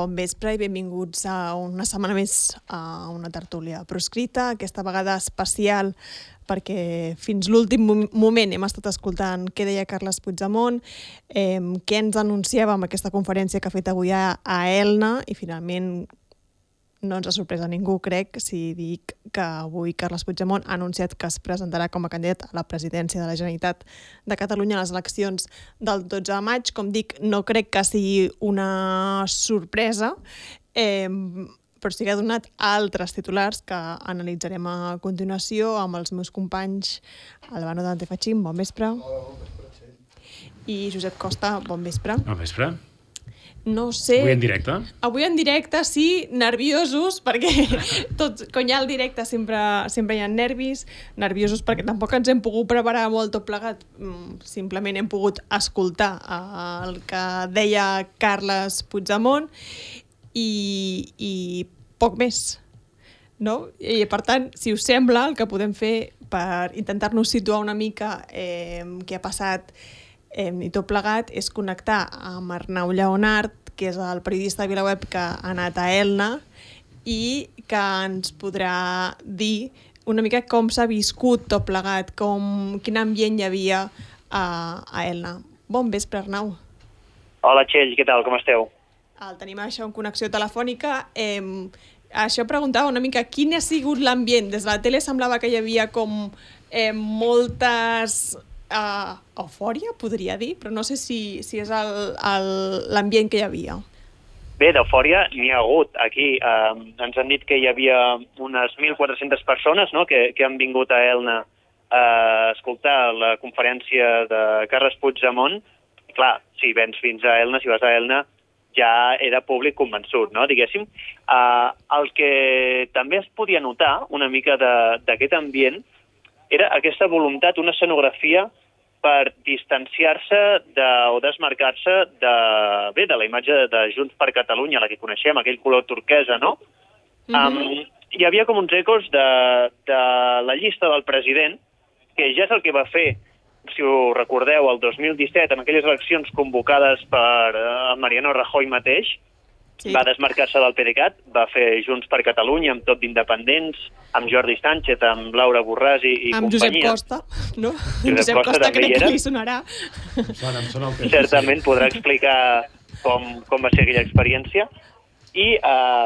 Bon vespre i benvinguts a una setmana més a una tertúlia proscrita, aquesta vegada especial perquè fins l'últim moment hem estat escoltant què deia Carles Puigdemont, què ens anunciava amb aquesta conferència que ha fet avui a Elna i finalment no ens ha sorprès a ningú, crec, si dic que avui Carles Puigdemont ha anunciat que es presentarà com a candidat a la presidència de la Generalitat de Catalunya a les eleccions del 12 de maig. Com dic, no crec que sigui una sorpresa, però sí que ha donat altres titulars que analitzarem a continuació amb els meus companys Albano Dante Fachin, bon vespre. Hola, bon vespre, Txell. I Josep Costa, bon vespre. Bon vespre. No sé... Avui en directe? Avui en directe, sí, nerviosos, perquè quan hi ha el directe sempre hi ha nervis, nerviosos perquè tampoc ens hem pogut preparar molt tot plegat, simplement hem pogut escoltar el que deia Carles Puigdemont i poc més, no? I per tant, si us sembla, el que podem fer per intentar-nos situar una mica què ha passat i tot plegat és connectar amb Arnau Lleonart, que és el periodista de VilaWeb que ha anat a Elna i que ens podrà dir una mica com s'ha viscut tot plegat, quin ambient hi havia a Elna. Bon vespre, Arnau. Hola, Txell, què tal, com esteu? El tenim això en connexió telefònica. Això preguntava una mica quin ha sigut l'ambient. Des de la tele semblava que hi havia com moltes... eufòria, podria dir, però no sé si és l'ambient que hi havia. Bé, d'eufòria n'hi ha hagut. Aquí ens han dit que hi havia unes 1.400 persones, no?, que han vingut a Elna a escoltar la conferència de Carles Puigdemont. Clar, si vens fins a Elna, si vas a Elna, ja era públic convençut, no?, diguéssim. El que també es podia notar una mica d'aquest ambient era aquesta voluntat, una escenografia per distanciar-se o desmarcar-se de la imatge de Junts per Catalunya, la que coneixem, aquell color turquesa, no? Hi havia com uns ecos de la llista del president, que ja és el que va fer, si ho recordeu, el 2017, en aquelles eleccions convocades per Mariano Rajoy mateix, sí. Va desmarcar-se del PDeCAT, va fer Junts per Catalunya amb tot d'independents, amb Jordi Sánchez, amb Laura Borràs i amb companyia. Amb Josep Costa, no? Josep Costa crec que li sonarà. Certament podrà explicar com va ser aquella experiència. I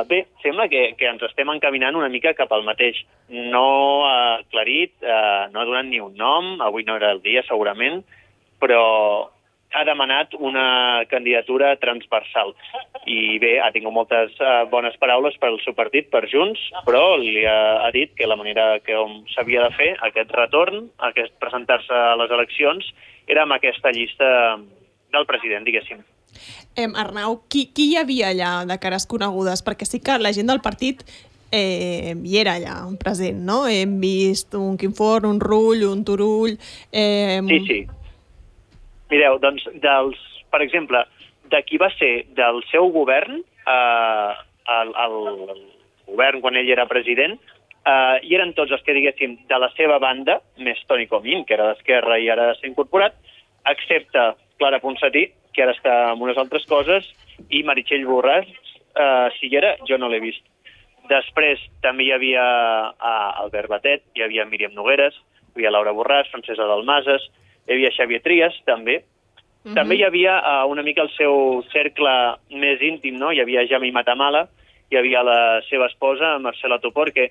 bé, sembla que ens estem encaminant una mica cap al mateix. No ha aclarit, no ha donat ni un nom, avui no era el dia segurament, però ha demanat una candidatura transversal. I bé, ha tingut moltes bones paraules per al seu partit, per Junts, però li ha dit que la manera que s'havia de fer aquest retorn, presentar-se a les eleccions, era amb aquesta llista del president, diguéssim. Arnau, qui hi havia allà de cares conegudes? Perquè sí que la gent del partit hi era allà present, no? Hem vist un Quim Forn, un Rull, un Turull... Sí. Mireu, doncs, per exemple, de qui va ser del seu govern, el govern quan ell era president, hi eren tots els que, diguéssim, de la seva banda, més Toni Comín, que era d'Esquerra i ara s'ha incorporat, excepte Clara Ponsatí, que ara està amb unes altres coses, i Meritxell Borràs, si hi era, jo no l'he vist. Després també hi havia Albert Batet, hi havia Míriam Nogueres, hi havia Laura Borràs, Francesa Dalmases, hi havia Xavier Trias, també. També hi havia una mica el seu cercle més íntim, no? Hi havia Jami Matamala, hi havia la seva esposa, Marcela Topor, que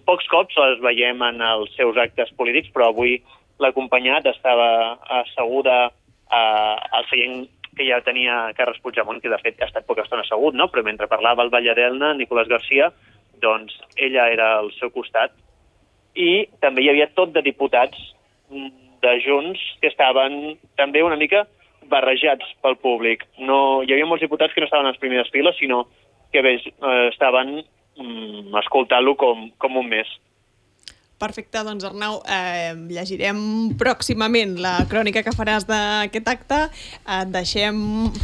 pocs cops les veiem en els seus actes polítics, però avui l'ha acompanyat, estava asseguda al seient que ja tenia Carles Puigdemont, que de fet ha estat poca estona assegut, no? Però mentre parlava el Valle d'Elna, Nicolás García, doncs ella era al seu costat. I també hi havia tot de diputats de Junts que estaven també una mica barrejats pel públic. No, hi havia molts diputats que no estaven a les primeres files, sinó que estaven escoltant-lo com un més. Perfecte, doncs Arnau, llegirem pròximament la crònica que faràs d'aquest acte, et deixem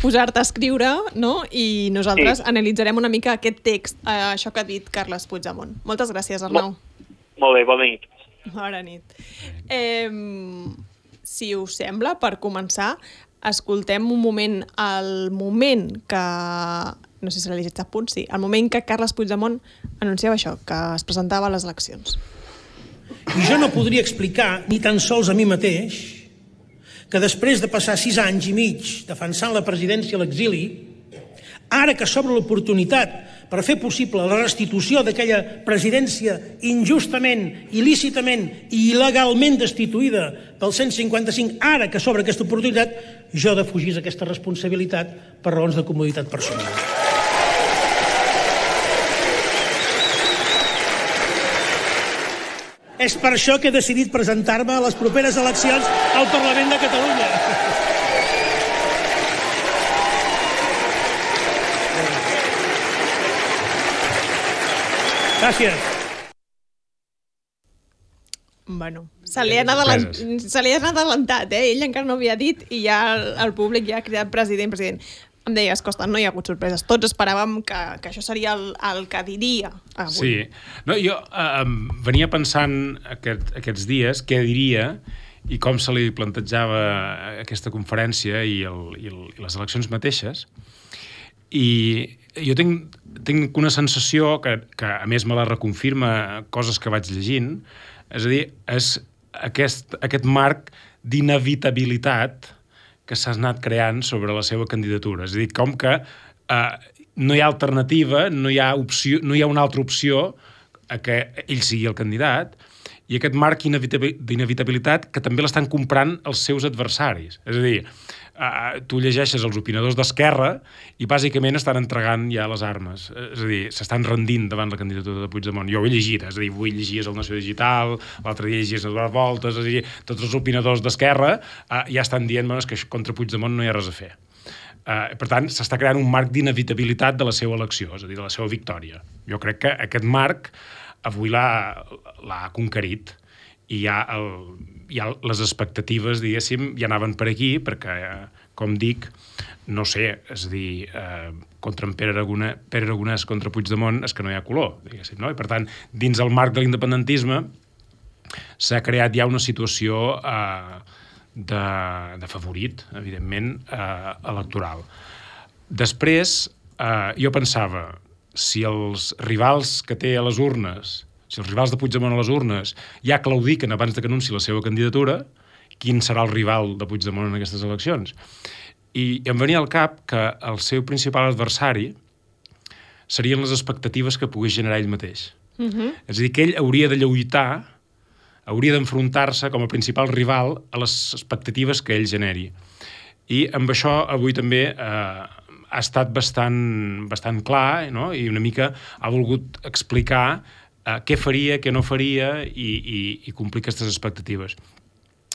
posar-te a escriure, no? I nosaltres analitzarem una mica aquest text, això que ha dit Carles Puigdemont. Moltes gràcies, Arnau. Molt bé, bona nit. Bona nit. Si us sembla, per començar, escoltem un moment, el moment que no sé si l'ha llegit a punt, sí, el moment que Carles Puigdemont anunciava això, que es presentava a les eleccions. I jo no podria explicar, ni tan sols a mi mateix, que després de passar 6 anys i mig defensant la presidència a l'exili, ara que s'obre l'oportunitat per fer possible la restitució d'aquella presidència injustament, il·lícitament i il·legalment destituïda pel 155, ara que s'obre aquesta oportunitat, jo defugís aquesta responsabilitat per raons de comoditat personal. És per això que he decidit presentar-me a les properes eleccions al Parlament de Catalunya. Gràcies. Bueno, se li ha anat adelantat, Ell encara no havia dit i ja el públic ja ha cridat president. Em deies, Costa, no hi ha hagut sorpreses. Tots esperàvem que això seria el que diria avui. Sí. No, jo venia pensant aquests dies què diria i com se li plantejava aquesta conferència i les eleccions mateixes. I jo tinc una sensació que a més me la reconfirma coses que vaig llegint, és a dir, és aquest marc d'inevitabilitat que s'ha anat creant sobre la seva candidatura. És a dir, com que no hi ha alternativa, no hi ha una altra opció a que ell sigui el candidat, i aquest marc d'inevitabilitat que també l'estan comprant els seus adversaris. És a dir, tu llegeixes els opinadors d'Esquerra i bàsicament estan entregant ja les armes. És a dir, s'estan rendint davant la candidatura de Puigdemont. Jo ho he llegit, és a dir, avui llegies el Nació Digital, l'altre dia llegies Eduard Voltes, és a dir, tots els opinadors d'Esquerra ja estan dient que contra Puigdemont no hi ha res a fer. Per tant, s'està creant un marc d'inevitabilitat de la seva elecció, és a dir, de la seva victòria. Jo crec que aquest marc avui l'ha conquerit i ja les expectatives, diguéssim, ja anaven per aquí, perquè, com dic, no sé, és a dir, contra en Pere Aragonès contra Puigdemont és que no hi ha color, diguéssim, no? I per tant, dins el marc de l'independentisme s'ha creat ja una situació de favorit, evidentment, electoral. Després, jo pensava, si els rivals que té a les urnes, si els rivals de Puigdemont a les urnes ja claudiquen abans de que anunci la seva candidatura, quin serà el rival de Puigdemont en aquestes eleccions? I em venia al cap que el seu principal adversari serien les expectatives que pogués generar ell mateix. És a dir, que ell hauria de lluitar, hauria d'enfrontar-se com a principal rival a les expectatives que ell generi. I amb això avui també ha estat bastant clar, no? I una mica ha volgut explicar què faria, què no faria i complir aquestes expectatives.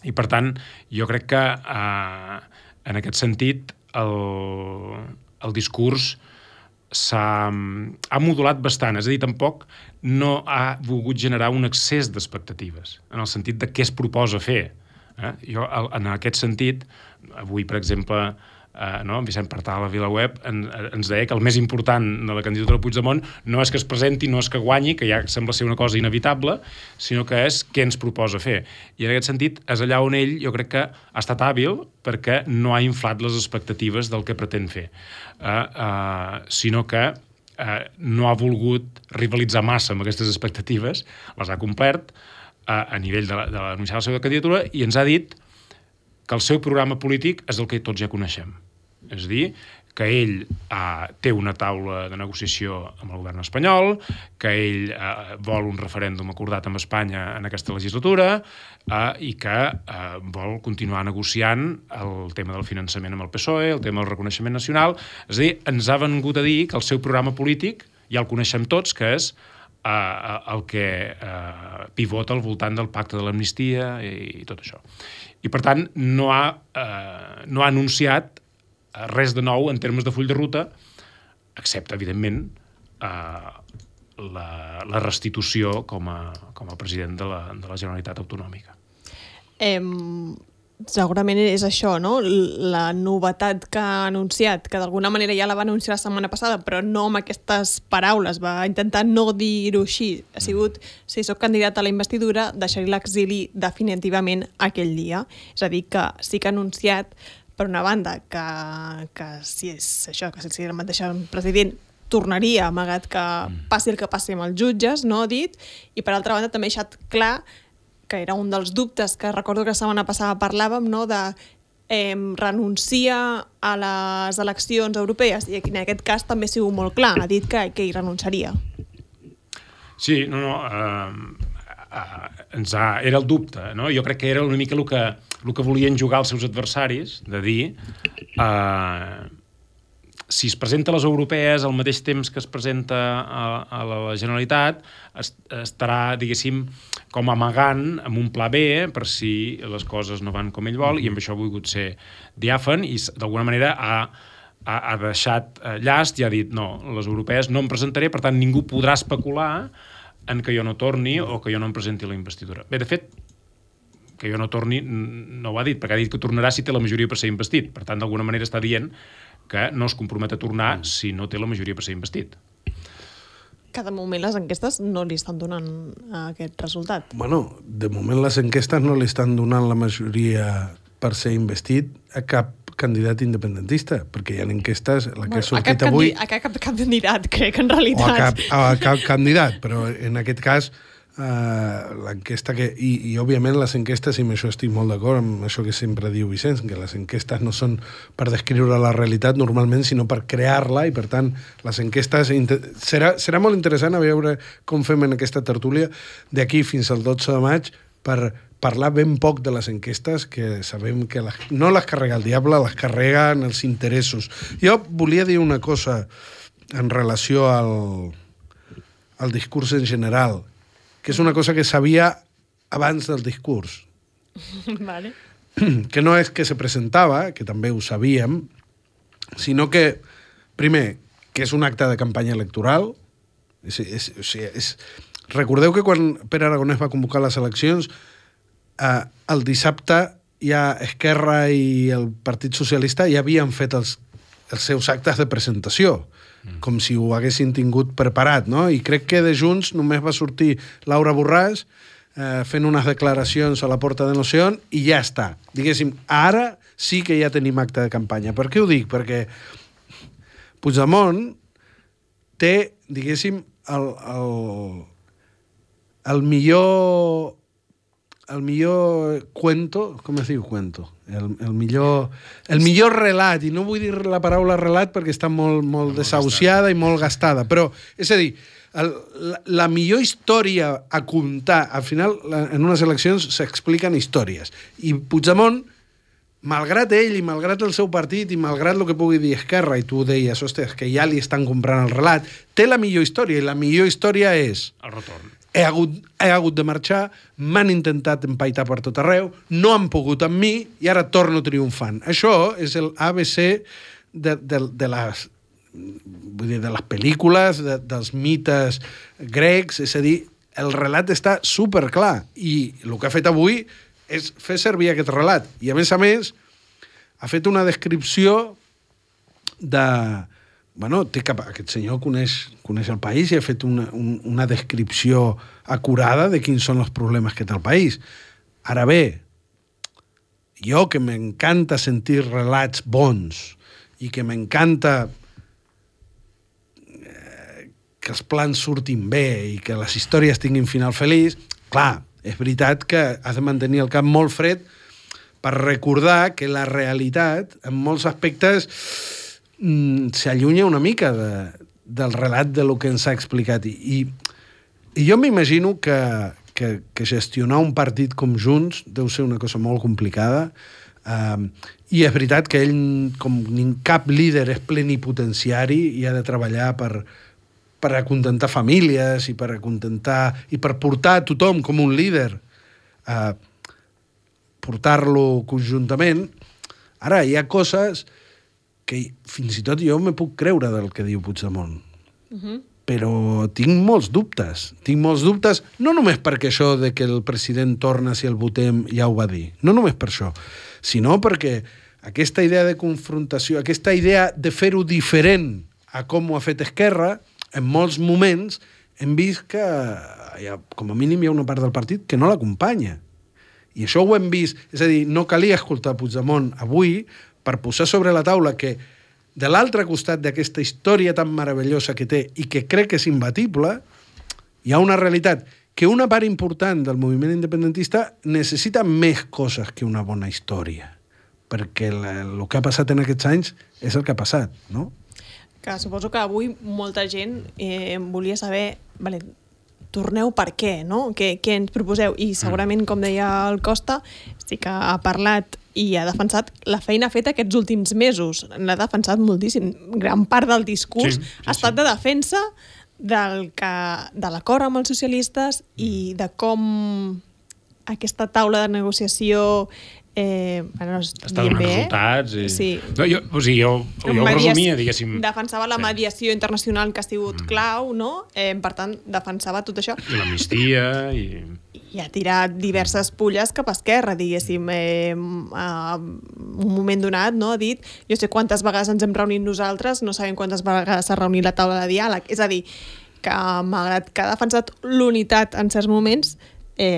I per tant, jo crec que en aquest sentit el discurs ha modulat bastant, és a dir, tampoc no ha volgut generar un excés d'expectatives, en el sentit de què es proposa fer. Jo, en aquest sentit, avui, per exemple, Vicent Partal a VilaWeb ens deia que el més important de la candidatura de Puigdemont no és que es presenti, no és que guanyi, que ja sembla ser una cosa inevitable, sinó que és què ens proposa fer. I en aquest sentit és allà on ell jo crec que ha estat hàbil perquè no ha inflat les expectatives del que pretén fer, sinó que no ha volgut rivalitzar massa amb aquestes expectatives, les ha complert a nivell de l'anunciar la seva candidatura i ens ha dit que el seu programa polític és el que tots ja coneixem. És a dir, que ell té una taula de negociació amb el govern espanyol, que ell vol un referèndum acordat amb Espanya en aquesta legislatura i que vol continuar negociant el tema del finançament amb el PSOE, el tema del reconeixement nacional. És a dir, ens ha vengut a dir que el seu programa polític ja el coneixem tots, que és el que pivota al voltant del pacte de l'amnistia i tot això. I, per tant, no ha anunciat res de nou en termes de full de ruta, excepte, evidentment, la restitució com a president de la Generalitat Autonòmica. Segurament és això, no? La novetat que ha anunciat, que d'alguna manera ja la va anunciar la setmana passada, però no amb aquestes paraules, va intentar no dir-ho així. Ha sigut, si soc candidat a la investidura, deixar-hi l'exili definitivament aquell dia. És a dir, que sí que ha anunciat, per una banda, que si és això, que si el mateix president tornaria, amagat que passi el que passi amb els jutges, no ha dit, i per altra banda també ha deixat clar que era un dels dubtes que recordo que la setmana passada parlàvem, no?, de renuncia a les eleccions europees, i en aquest cas també ha sigut molt clar, ha dit que hi renunciaria. Sí, era el dubte, no? Jo crec que era una mica el que volien jugar els seus adversaris, de dir si es presenta a les europees al mateix temps que es presenta a la Generalitat, estarà, diguéssim, com amagant amb un pla B per si les coses no van com ell vol, i amb això ha volgut ser diàfan i d'alguna manera ha deixat llast i ha dit no, les europees no em presentaré, per tant ningú podrà especular en que jo no torni o que jo no em presenti la investidura. Bé, de fet, que jo no torni no ho ha dit, perquè ha dit que tornarà si té la majoria per ser investit. Per tant, d'alguna manera està dient que no es compromet a tornar si no té la majoria per ser investit. Cada moment les enquestes no li estan donant aquest resultat. Bueno, de moment les enquestes no li estan donant la majoria per ser investit a cap candidat independentista, perquè hi ha enquestes, la que ha sortit avui... A cap candidat, crec, en realitat. A cap candidat, però en aquest cas l'enquesta que... I òbviament les enquestes, i amb això estic molt d'acord amb això que sempre diu Vicenç, que les enquestes no són per descriure la realitat normalment, sinó per crear-la, i per tant les enquestes... Serà molt interessant a veure com fem en aquesta tertúlia d'aquí fins al 12 de maig per parlar ben poc de les enquestes, que sabem que no les carrega el diable, les carreguen els interessos. Jo volia dir una cosa en relació al discurs en general, que és una cosa que sabia abans del discurs. Vale. Que no és que se presentava, que també ho sabíem, sinó que, primer, que és un acte de campanya electoral. Recordeu que quan Pere Aragonès va convocar les eleccions, el dissabte ja Esquerra i el Partit Socialista ja havien fet els seus actes de presentació, com si ho haguessin tingut preparat, no? I crec que de Junts només va sortir Laura Borràs fent unes declaracions a la porta de no sé on i ja està. Diguéssim, ara sí que ja tenim acte de campanya. Per què ho dic? Perquè Puigdemont té, diguéssim, el millor cuento, com es diu cuento? El millor relat, i no vull dir la paraula relat perquè està molt desahuciada i molt gastada, però, és a dir, la millor història a contar, al final, en unes eleccions s'expliquen històries, i Puigdemont, malgrat ell i malgrat el seu partit i malgrat el que pugui dir Esquerra, i tu deies, ostres, que ja li estan comprant el relat, té la millor història, i la millor història és... El retorn. He hagut de marxar, m'han intentat empaitar per tot arreu, no han pogut amb mi i ara torno triomfant. Això és el ABC de les pel·lícules, dels mites grecs, és a dir, el relat està superclar i el que ha fet avui és fer servir aquest relat. I a més, ha fet una descripció de... Bueno, aquest senyor coneix el país i ha fet una descripció acurada de quins són els problemes que té el país. Ara bé, jo que m'encanta sentir relats bons i que m'encanta que els plans surtin bé i que les històries tinguin final feliç, clar, és veritat que has de mantenir el cap molt fred per recordar que la realitat, en molts aspectes, s'allunya una mica del relat de lo que ens ha explicat. I jo m'imagino que gestionar un partit com Junts deu ser una cosa molt complicada, i és veritat que ell, com cap líder, és plenipotenciari i ha de treballar per acontentar famílies i per portar a tothom com un líder, portar-lo conjuntament. Ara, hi ha coses que fins i tot jo me puc creure del que diu Puigdemont. Però tinc molts dubtes. No només perquè això de que el president torna si el votem ja ho va dir, no només per això, sinó perquè aquesta idea de confrontació, aquesta idea de fer-ho diferent a com ho ha fet Esquerra, en molts moments hem vist que com a mínim hi ha una part del partit que no l'acompanya. I això ho hem vist. És a dir, no calia escoltar Puigdemont avui per posar sobre la taula que de l'altre costat d'aquesta història tan meravellosa que té i que crec que és imbatible, hi ha una realitat que una part important del moviment independentista necessita més coses que una bona història, perquè el que ha passat en aquests anys és el que ha passat, no? Que suposo que avui molta gent volia saber, vale, torneu per què, no? Què ens proposeu? I segurament, com deia el Costa, sí que ha parlat i ha defensat la feina feta aquests últims mesos. L'ha defensat moltíssim. Gran part del discurs ha estat de defensa de l'acord amb els socialistes i de com aquesta taula de negociació està donant resultats. Sí. No, jo ho resumia, diguéssim. Defensava la mediació internacional que ha sigut clau, no? Per tant, defensava tot això. I l'amnistia. I ha tirat diverses pulles cap a esquerra, diguéssim. Un moment donat, no? Ha dit, jo sé quantes vegades ens hem reunit nosaltres, no sabem quantes vegades s'ha reunit la taula de diàleg. És a dir, que malgrat que ha defensat l'unitat en certs moments,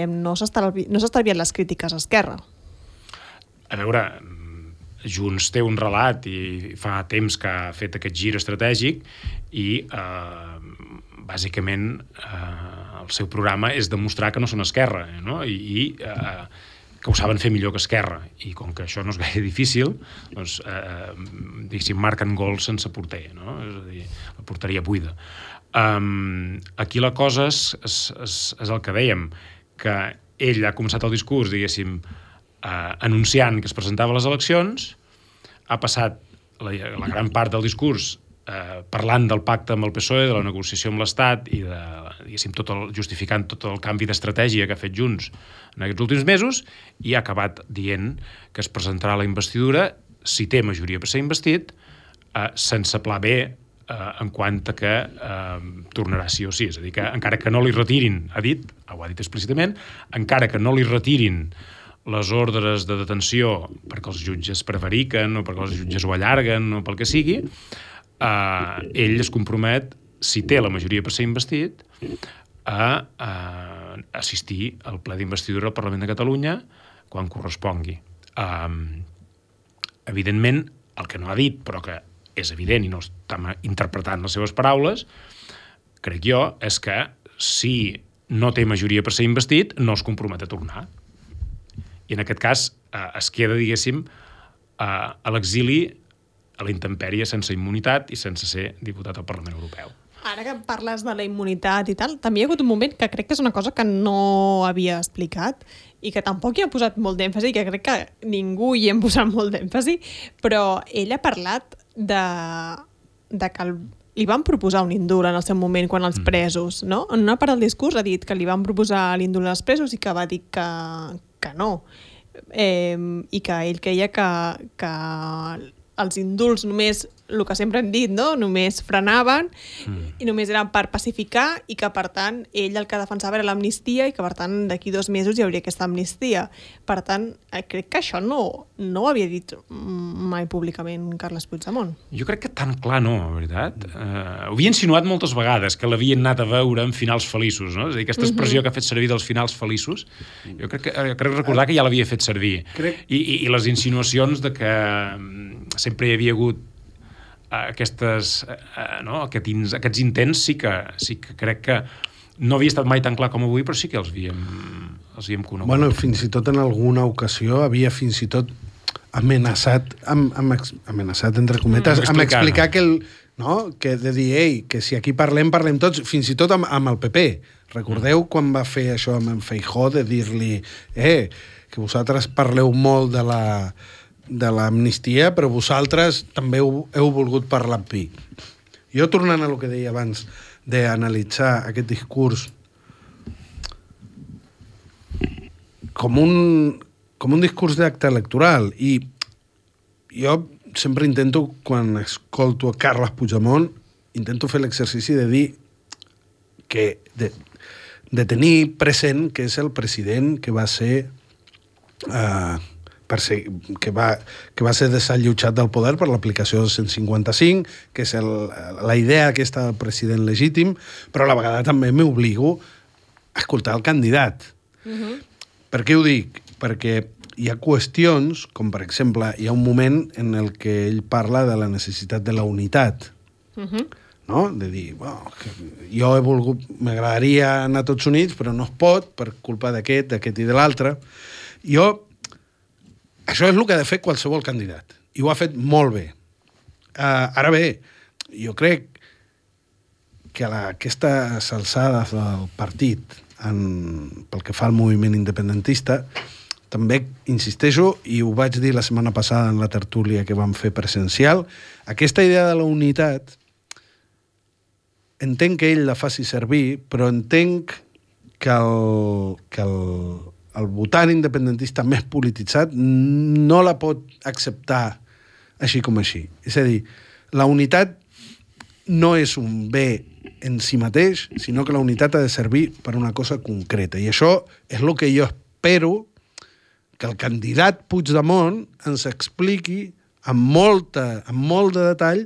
no s'ha estalviat les crítiques a Esquerra. A veure, Junts té un relat i fa temps que ha fet aquest gir estratègic i bàsicament el seu programa és demostrar que no són Esquerra, no? I que ho saben fer millor que Esquerra, i com que això no és gaire difícil, doncs diguéssim, marquen gols sense porter, no? És a dir, la porteria buida. Aquí la cosa és el que dèiem, que ell ha començat el discurs, diguéssim, anunciant que es presentava a les eleccions, ha passat la gran part del discurs parlant del pacte amb el PSOE, de la negociació amb l'Estat i de, diguéssim, justificant tot el canvi d'estratègia que ha fet Junts en aquests últims mesos, i ha acabat dient que es presentarà la investidura, si té majoria per ser investit, sense pla B, en quant a que tornarà sí o sí. És a dir, que encara que no li retirin, ho ha dit explícitament, encara que no li retirin les ordres de detenció perquè els jutges prevariquen o perquè els jutges ho allarguen o pel que sigui, ell es compromet, si té la majoria per ser investit, a assistir al ple d'investidura al Parlament de Catalunya quan correspongui. Evidentment, el que no ha dit, però que és evident i no està interpretant les seves paraules, crec jo, és que si no té majoria per ser investit, no es compromet a tornar. I en aquest cas es queda, diguéssim, a l'exili, a la intempèrie, sense immunitat i sense ser diputat al Parlament Europeu. Ara que parles de la immunitat i tal, també hi ha hagut un moment que crec que és una cosa que no havia explicat i que tampoc hi ha posat molt d'èmfasi, i que crec que ningú hi hem posat molt d'èmfasi, però ell ha parlat de que li van proposar un indult en el seu moment quan els presos, no? En una part del discurs ha dit que li van proposar l'indult als presos i que va dir que no. I que ell creia que els indults només, el que sempre hem dit, no? Només frenaven i només eren per pacificar, i que per tant ell el que defensava era l'amnistia i que per tant d'aquí 2 mesos hi hauria aquesta amnistia. Per tant, crec que això no ho havia dit mai públicament Carles Puigdemont. Jo crec que tan clar no, veritat. Ho havia insinuat moltes vegades, que l'havien anat a veure en finals feliços, no? És a dir, aquesta expressió que ha fet servir dels finals feliços, jo crec recordar que ja l'havia fet servir. I les insinuacions de que sempre hi havia hagut aquests intents, sí que crec que no havia estat mai tan clar com avui, però sí que els havíem conegut. Bueno, fins i tot en alguna ocasió havia fins i tot amenaçat entre cometes, amb explicar que que de dir, que si aquí parlem tots, fins i tot amb el PP. Recordeu quan va fer això amb en Feijóo, de dir-li que vosaltres parleu molt de l'amnistia, però vosaltres també heu volgut parlar amb mi. Jo, tornant a el que deia abans d'analitzar aquest discurs com un discurs d'acte electoral, i jo sempre intento, quan escolto a Carles Puigdemont, intento fer l'exercici de dir que de tenir present que és el president que va ser que va ser desallotjat del poder per l'aplicació del 155, que és la idea aquesta del president legítim, però a la vegada també m'obligo a escoltar el candidat. Per què ho dic? Perquè hi ha qüestions, com per exemple, hi ha un moment en el que ell parla de la necessitat de la unitat, no? De dir, bueno, jo he volgut, m'agradaria anar tots units, però no es pot per culpa d'aquest i de l'altre. Això és el que ha de fer qualsevol candidat, i ho ha fet molt bé. Ara bé, jo crec que a aquestes alçades del partit, pel que fa al moviment independentista, també insisteixo, i ho vaig dir la setmana passada en la tertúlia que vam fer presencial, aquesta idea de la unitat entenc que ell la faci servir, però entenc que el votant independentista més polititzat no la pot acceptar així com així. És a dir, la unitat no és un bé en si mateix, sinó que la unitat ha de servir per una cosa concreta. I això és el que jo espero que el candidat Puigdemont ens expliqui amb molt de detall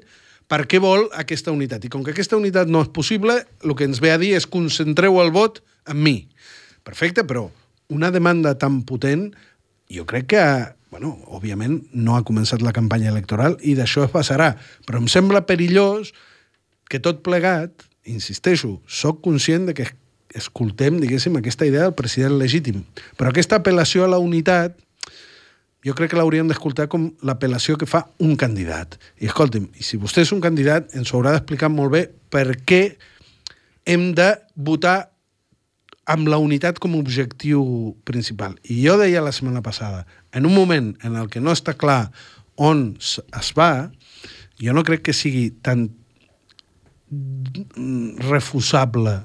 per què vol aquesta unitat. I com que aquesta unitat no és possible, el que ens ve a dir és concentreu el vot en mi. Perfecte, però una demanda tan potent, jo crec que, bueno, òbviament no ha començat la campanya electoral i d'això es passarà, però em sembla perillós que tot plegat, insisteixo, soc conscient de que escoltem, diguéssim, aquesta idea del president legítim. Però aquesta apel·lació a la unitat, jo crec que l'hauríem d'escoltar com l'apel·lació que fa un candidat. I escolti'm, i si vostè és un candidat, ens haurà d'explicar molt bé per què hem de votar amb la unitat com a objectiu principal. I jo deia la setmana passada, en un moment en el que no està clar on es va, jo no crec que sigui tan refusable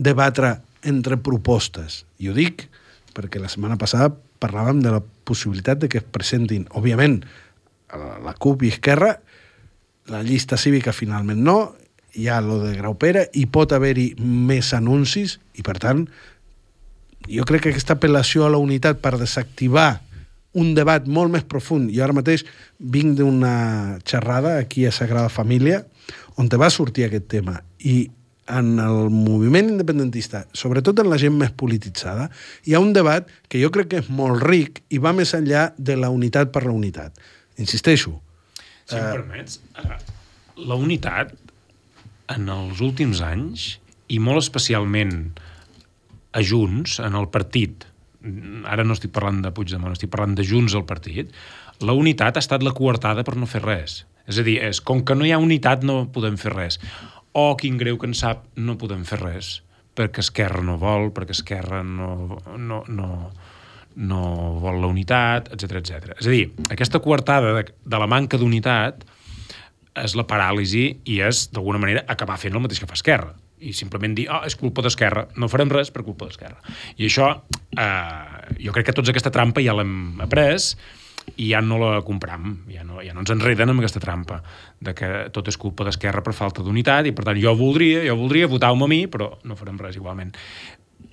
debatre entre propostes. I ho dic perquè la setmana passada parlàvem de la possibilitat de que es presentin, òbviament, la CUP i Esquerra, la llista cívica finalment no, hi ha lo de Graupera, i pot haver-hi més anuncis, i per tant, jo crec que aquesta apel·lació a la unitat per desactivar un debat molt més profund, i ara mateix vinc d'una xerrada aquí a Sagrada Família, on te va sortir aquest tema, i en el moviment independentista, sobretot en la gent més polititzada, hi ha un debat que jo crec que és molt ric i va més enllà de la unitat per la unitat. Insisteixo. Si em permets, la unitat en els últims anys, i molt especialment a Junts, en el partit, ara no estic parlant de Puigdemont, estic parlant de Junts al partit, la unitat ha estat la coartada per no fer res. És a dir, com que no hi ha unitat no podem fer res. O, quin greu que en sap, no podem fer res, perquè Esquerra no vol, perquè Esquerra no vol la unitat, etc. És a dir, aquesta coartada de la manca d'unitat és la paràlisi i és, d'alguna manera, acabar fent el mateix que fa Esquerra. I simplement dir, és culpa d'Esquerra, no farem res per culpa d'Esquerra. I això, jo crec que tots aquesta trampa ja l'hem après, i ja no la compram, ja no ens enreden amb aquesta trampa de que tot és culpa d'Esquerra per falta d'unitat i per tant jo voldria votar-me a mi, però no farem res igualment.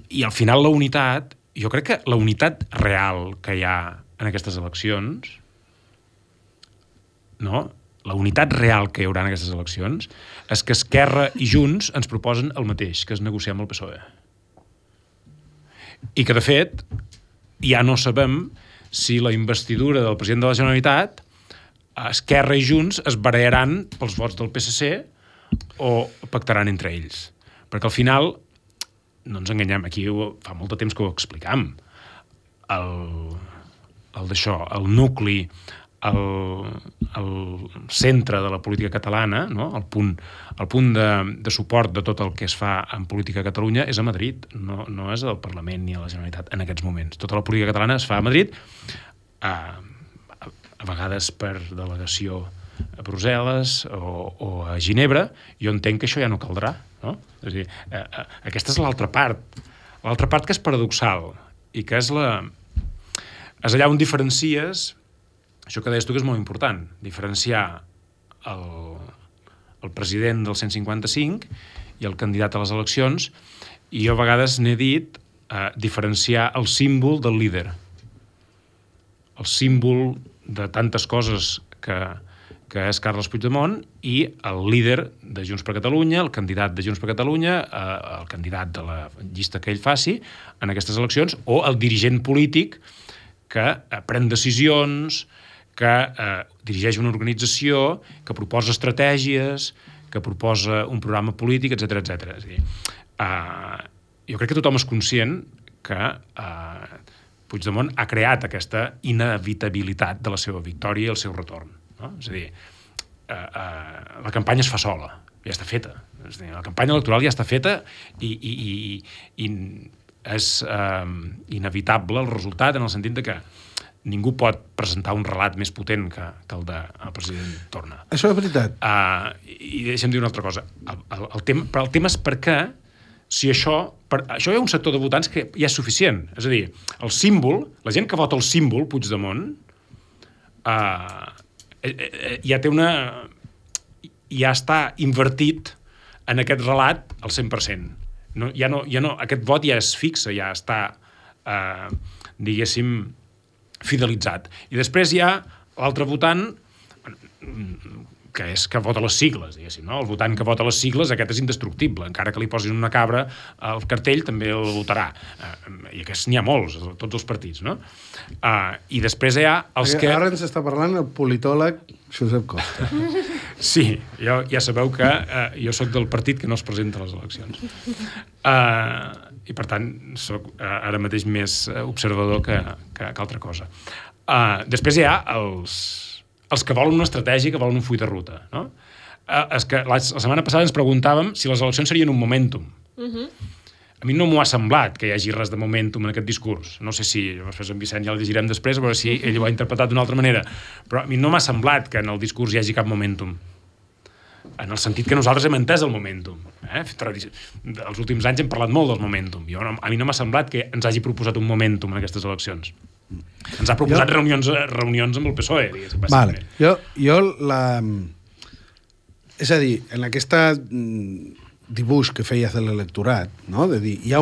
I al final la unitat, jo crec que la unitat real que hi ha en aquestes eleccions, no? La unitat real que hi haurà en aquestes eleccions és que Esquerra i Junts ens proposen el mateix, que és negociar amb el PSOE. I que, de fet, ja no sabem si la investidura del president de la Generalitat, Esquerra i Junts es barallaran pels vots del PSC o pactaran entre ells. Perquè al final, no ens enganyem, aquí fa molt de temps que ho explicam, el nucli, el centre de la política catalana, no? el punt de suport de tot el que es fa en política a Catalunya és a Madrid, no és al Parlament ni a la Generalitat en aquests moments. Tota la política catalana es fa a Madrid, a vegades per delegació a Brussel·les o a Ginebra. Jo entenc que això ja no caldrà, no? És a dir, aquesta és l'altra part que és paradoxal i que és allà on diferencies. Això que deies tu que és molt important, diferenciar el president del 155 i el candidat a les eleccions, i jo a vegades n'he dit diferenciar el símbol del líder. El símbol de tantes coses que és Carles Puigdemont i el líder de Junts per Catalunya, el candidat de Junts per Catalunya, el candidat de la llista que ell faci en aquestes eleccions, o el dirigent polític que pren decisions, que dirigeix una organització, que proposa estratègies, que proposa un programa polític, etc etc. És a dir, jo crec que tothom és conscient que Puigdemont ha creat aquesta inevitabilitat de la seva victòria i el seu retorn. No? És a dir, la campanya es fa sola, ja està feta. És a dir, la campanya electoral ja està feta i és inevitable el resultat en el sentit de que ningú pot presentar un relat més potent que el del president Torra. Això és veritat. I deixa'm dir una altra cosa. El tema és per què, si això hi ha un sector de votants que ja és suficient. És a dir, el símbol, la gent que vota el símbol Puigdemont, ja està invertit en aquest relat al 100%. Aquest vot ja és fixe, ja està, diguéssim, fidelitzat. I després hi ha l'altre votant que vota les sigles, diguéssim, no? El votant que vota les sigles, aquest és indestructible. Encara que li posin una cabra al cartell, també el votarà. I aquests n'hi ha molts, tots els partits, no? I després hi ha els que... Ara ens està parlant el politòleg Josep Costa. Sí, ja sabeu que jo sóc del partit que no es presenta a les eleccions. I, per tant, sóc ara mateix més observador que altra cosa. Després hi ha els que volen una estratègia, que volen un full de ruta. No? La setmana passada ens preguntàvem si les eleccions serien un momentum. A mi no m'ho ha semblat que hi hagi res de momentum en aquest discurs. No sé si, després en Vicent ja el llegirem després, a veure si ell ho ha interpretat d'una altra manera. Però a mi no m'ha semblat que en el discurs hi hagi cap momentum. En el sentit que nosaltres hem entès el momentum. Els últims anys hem parlat molt del momentum. A mi no m'ha semblat que ens hagi proposat un momentum en aquestes eleccions. Ens ha proposat reunions amb el PSOE, diguéssim. Vale. És a dir, en aquesta dibuix que feies de l'electorat, no? De dir, hi ha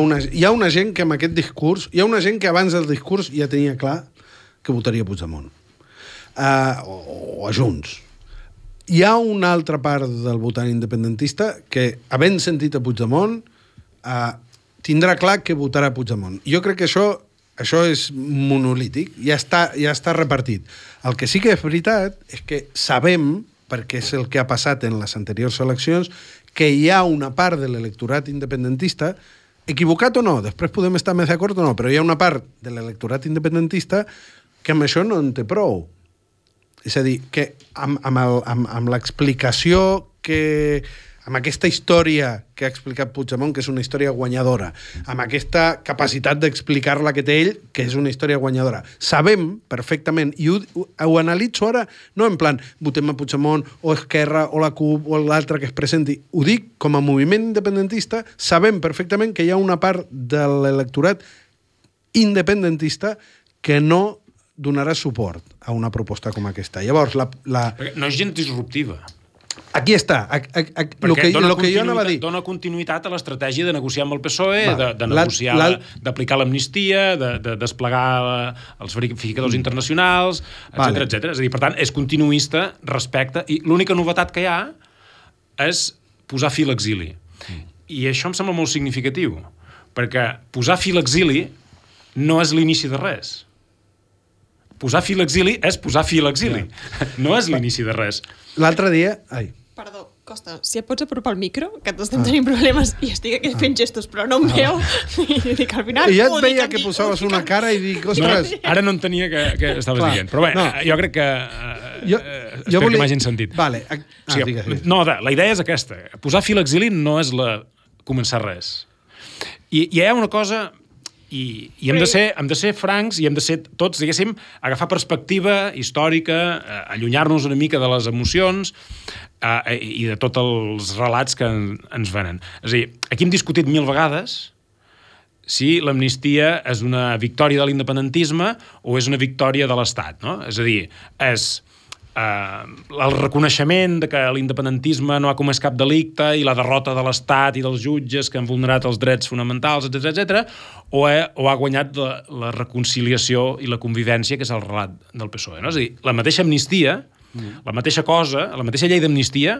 una gent que amb aquest discurs, hi ha una gent que abans del discurs ja tenia clar que votaria Puigdemont. O a Junts. Hi ha una altra part del votant independentista que, havent sentit a Puigdemont, tindrà clar que votarà Puigdemont. Jo crec que això és monolític, ja està repartit. El que sí que és veritat és que sabem, perquè és el que ha passat en les anteriors eleccions, que hi ha una part de l'electorat independentista, equivocat o no, després podem estar més d'acord o no, però hi ha una part de l'electorat independentista que amb això no en té prou. És a dir, que amb l'explicació amb aquesta història que ha explicat Puigdemont, que és una història guanyadora, amb aquesta capacitat d'explicar-la que té ell, que és una història guanyadora. Sabem perfectament, i ho analitzo ara, no en plan, votem a Puigdemont, o Esquerra, o la CUP, o l'altre que es presenti. Ho dic com a moviment independentista, sabem perfectament que hi ha una part de l'electorat independentista que no donarà suport a una proposta com aquesta. Llavors, no és gent disruptiva. Aquí està. Lo que jo anava a dir. Dona continuïtat a l'estratègia de negociar amb el PSOE, de negociar, d'aplicar l'amnistia, de desplegar els verificadors internacionals, etc etc. És a dir, per tant, és continuista respecte... I l'única novetat que hi ha és posar fi a l'exili. I això em sembla molt significatiu, perquè posar fi a l'exili no és l'inici de res. Posar fi a l'exili és posar fi a l'exili. No és l'inici de res. L'altre dia... Perdó, Costa, si et pots apropar al micro, que t'estem tenint problemes i estic aquí fent gestos, però no em veu. I dic, al final... I ja et veia que posaves una cara i dic, ostres... No, ara no entenia que estaves dient. Però bé, jo crec que... Espero que m'hagin sentit. Vale. Digues. No, la idea és aquesta. Posar fi a l'exili no és començar res. I hi ha una cosa... I hem de ser francs i hem de ser tots, diguéssim, agafar perspectiva històrica, allunyar-nos una mica de les emocions i de tots els relats que ens venen. És a dir, aquí hem discutit 1000 vegades si l'amnistia és una victòria de l'independentisme o és una victòria de l'Estat, no? És a dir, és el reconeixement de que l'independentisme no ha comès cap delicte i la derrota de l'Estat i dels jutges que han vulnerat els drets fonamentals, etc o ha guanyat la reconciliació i la convivència, que és el relat del PSOE. No? És a dir, la mateixa amnistia, la mateixa cosa, la mateixa llei d'amnistia,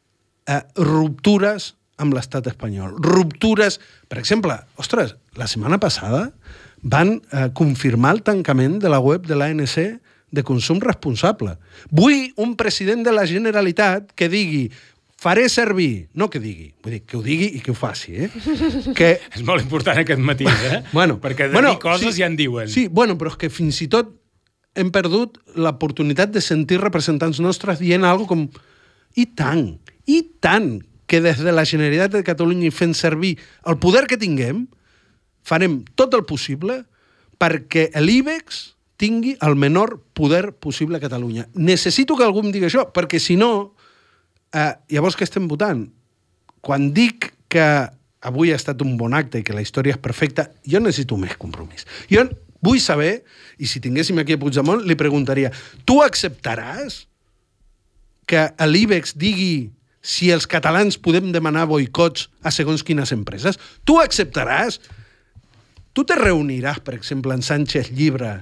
ruptures amb l'estat espanyol. Ruptures... Per exemple, ostres, la setmana passada van confirmar el tancament de la web de l'ANC de consum responsable. Vull un president de la Generalitat que digui faré servir, no que digui, vull dir, que ho digui i que ho faci, Que... És molt important aquest matís, Perquè de dir coses ja en diuen. Sí, però és que fins i tot hem perdut l'oportunitat de sentir representants nostres dient alguna com i tant, que des de la Generalitat de Catalunya i fent servir el poder que tinguem, farem tot el possible perquè l'IBEX tingui el menor poder possible a Catalunya. Necessito que algú em digui això, perquè si no, llavors què estem votant? Quan dic que avui ha estat un bon acte i que la història és perfecta, jo necessito més compromís. Jo vull saber, i si tinguéssim aquí a Puigdemont, li preguntaria, tu acceptaràs que l'IBEX digui si els catalans podem demanar boicots a segons quines empreses? Tu acceptaràs? Tu te reuniràs, per exemple, en Sánchez Llibre,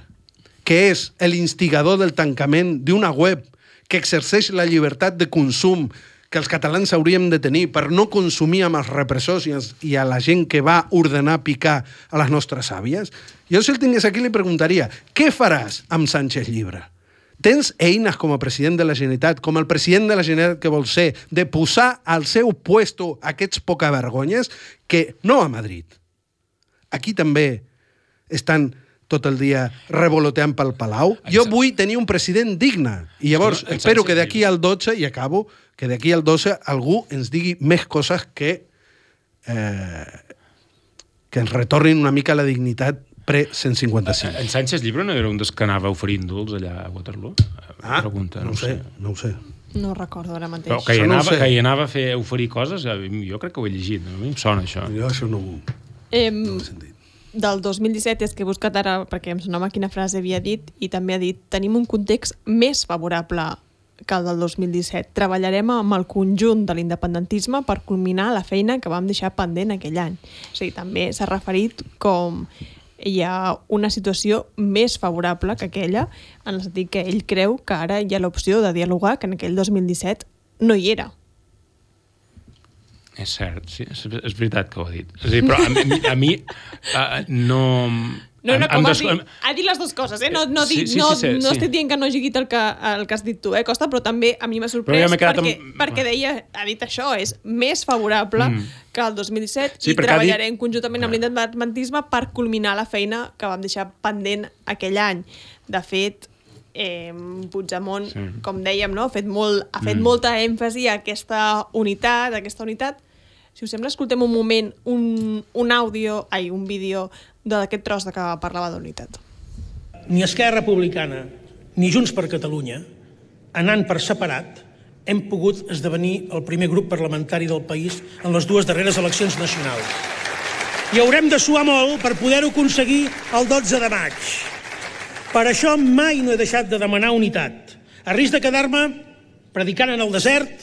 que és l'instigador del tancament d'una web que exerceix la llibertat de consum que els catalans hauríem de tenir per no consumir amb els repressors i a la gent que va ordenar picar a les nostres àvies? Jo, si el tingués aquí, li preguntaria, què faràs amb Sánchez Llibre? Tens eines com a president de la Generalitat, com el president de la Generalitat que vol ser, de posar al seu puesto aquests pocavergonyes que no a Madrid. Aquí també estan tot el dia revoloteant pel Palau. Jo vull tenir un president digne. I llavors espero que d'aquí al 12, i acabo, que d'aquí al 12 algú ens digui més coses que ens retornin una mica la dignitat pre-155. En Sánchez Llibre no era un dels que anava oferint indults allà a Waterloo? Pregunta, no ho sé. No recordo ara mateix. Però que hi anava a fer oferir coses, jo crec que ho he llegit, a mi em sona això. Jo això no ho he sentit. Del 2017 és que he buscat ara, perquè em sonava quina frase havia dit, i també ha dit, tenim un context més favorable que el del 2017. Treballarem amb el conjunt de l'independentisme per culminar la feina que vam deixar pendent aquell any. O sigui, també s'ha referit com hi ha una situació més favorable que aquella, en el sentit que ell creu que ara hi ha l'opció de dialogar, que en aquell 2017 no hi era. És cert, sí, és veritat que ho ha dit. És a dir, però a mi no... Ha dit les dues coses, No estic dient que no hagi dit el que has dit tu, Costa, però també a mi m'ha sorprès perquè deia, ha dit això, és més favorable que el 2017 i treballarem conjuntament amb l'independentisme per culminar la feina que vam deixar pendent aquell any. De fet, Puigdemont, com dèiem, ha fet molta èmfasi a aquesta unitat. Si us sembla, escoltem un moment un vídeo d'aquest tros que parlava d'unitat. Ni Esquerra Republicana ni Junts per Catalunya, anant per separat, hem pogut esdevenir el primer grup parlamentari del país en les dues darreres eleccions nacionals. I haurem de suar molt per poder-ho aconseguir el 12 de maig. Per això mai no he deixat de demanar unitat, a risc de quedar-me predicant en el desert,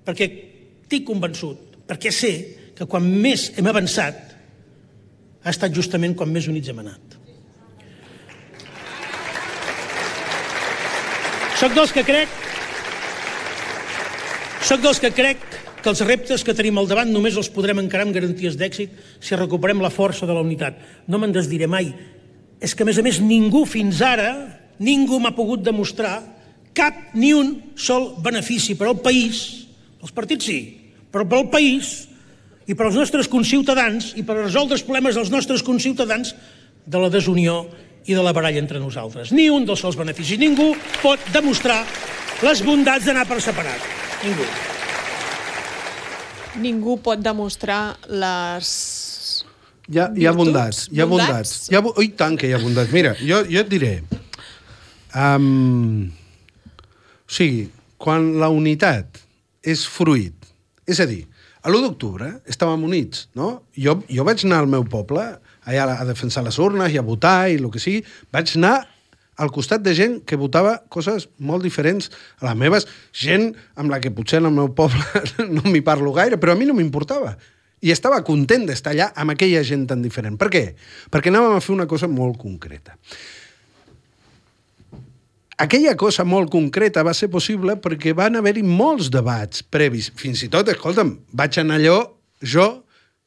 perquè estic convençut, perquè sé que quan més hem avançat ha estat justament quan més units hem anat. Soc dels que crec que els reptes que tenim al davant només els podrem encarar amb garanties d'èxit si recuperem la força de la unitat. No me'n desdiré mai. És que, a més, ningú fins ara, ningú m'ha pogut demostrar ni un sol benefici per al país, els partits sí, però per al país i per als nostres conciutadans i per resoldre els problemes dels nostres conciutadans de la desunió i de la baralla entre nosaltres. Ni un dels sols beneficis. Ningú pot demostrar les bondats d'anar per separat. Ningú. Ningú pot demostrar les... Hi ha bondats. I tant que hi ha bondats. Mira, jo et diré... O sigui, quan la unitat és fruit, és a dir, a l'1 d'octubre estàvem units, no? Jo vaig anar al meu poble allà a defensar les urnes i a votar i el que sigui. Vaig anar al costat de gent que votava coses molt diferents a les meves, gent amb la que potser en el meu poble no m'hi parlo gaire, però a mi no m'importava. I estava content d'estar allà amb aquella gent tan diferent. Per què? Perquè anàvem a fer una cosa molt concreta. aquella cosa molt concreta va ser possible perquè van haver-hi molts debats previs. Fins i tot, escolta'm, vaig anar allò, jo,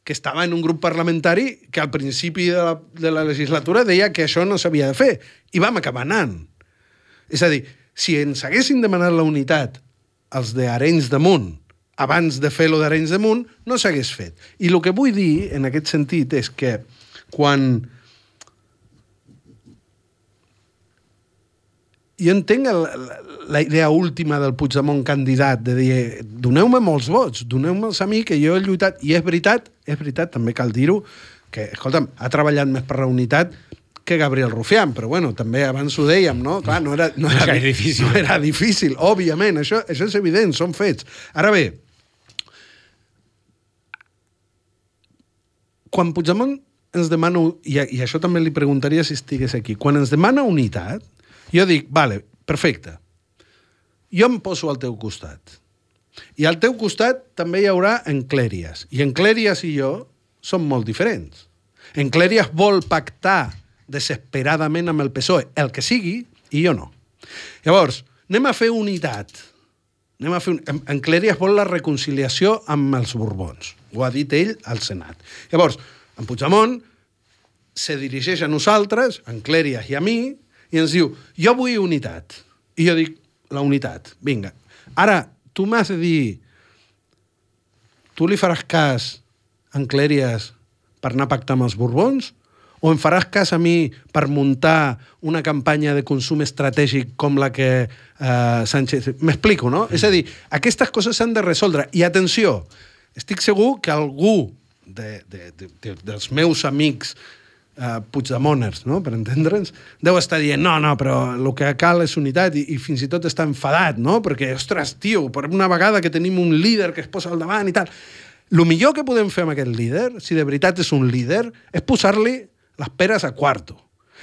que estava en un grup parlamentari que al principi de la legislatura deia que això no s'havia de fer, i vam acabar anant. És a dir, si ens haguessin demanat la unitat els d'Arenys de Munt abans de fer-lo d'Arenys de Munt, no s'hagués fet. I el que vull dir, en aquest sentit, és que quan... Jo entenc la idea última del Puigdemont candidat, de dir, doneu-me molts vots, doneu-me'ls a mi, que jo he lluitat, i és veritat, també cal dir-ho, que, escolta'm, ha treballat més per la unitat que Gabriel Rufián, però bueno, també abans ho dèiem, no? Clar, no era difícil. No era difícil, òbviament, això és evident, són fets. Ara bé, quan Puigdemont ens demana, i això també li preguntaria si estigués aquí, quan ens demana unitat, jo dic, vale, perfecte, jo em poso al teu costat. I al teu costat també hi haurà Enclèries. I Enclèries i jo som molt diferents. Enclèries vol pactar desesperadament amb el PSOE, el que sigui, i jo no. Llavors, anem a fer unitat. Enclèries vol la reconciliació amb els Borbons. Ho ha dit ell al Senat. Llavors, en Puigdemont se dirigeix a nosaltres, a Enclèries i a mi, i ens diu, jo vull unitat. I jo dic, la unitat, vinga. Ara, tu m'has de dir, tu li faràs cas a Enclèries per anar a pactar amb els Borbons? O em faràs cas a mi per muntar una campanya de consum estratègic com la que Sánchez... M'explico, no? És a dir, aquestes coses s'han de resoldre. I atenció, estic segur que algú dels meus amics puigdemoners, no? Per entendre'ns, deu estar dient, no, però el que cal és unitat, i fins i tot està enfadat, no? Perquè, ostres, tio, per una vegada que tenim un líder que es posa al davant i tal. El millor que podem fer amb aquest líder, si de veritat és un líder, és posar-li les peres a quarto.